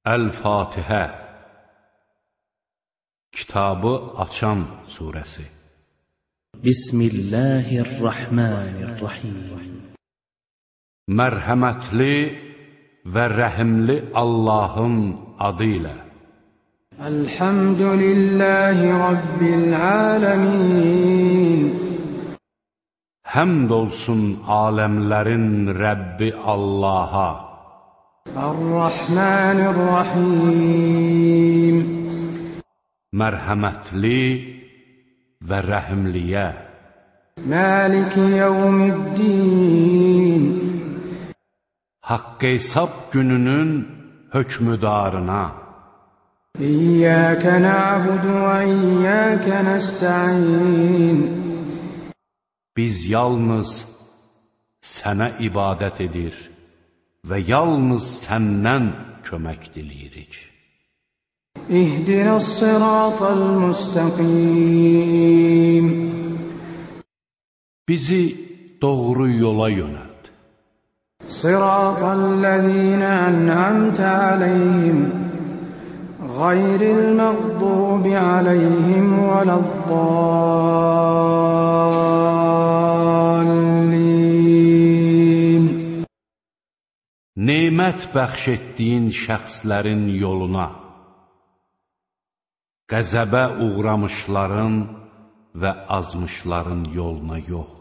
Əl-Fatihə Kitabı açan surəsi. Bismillahirrahmanirrahim. Mərhəmətli və rəhimli Allahın adı ilə. Elhamdülillahi Rabbil aləmin. Həmd olsun aləmlərin Rəbbi Allaha. Ar-Rahmanir-Rahim. Mərhəmətli və rəhimliyə. Maliki yevmiddin. Haqq hesab gününün hökmüdarına. İyyâke na'budu və iyyâke nesta'in. Biz yalnız sənə ibadət edir və yalnız səndən kömək diləyirik. İhdinəs-sirâtal müstəqim. Bizi doğru yola yönəlt. Sirâtallezîne en'amte aleyhim gayril mağdûbi aleyhim veleddâllin. Nemət bəxş etdiyin şəxslərin yoluna, qəzəbə uğramışların və azmışların yoluna yox.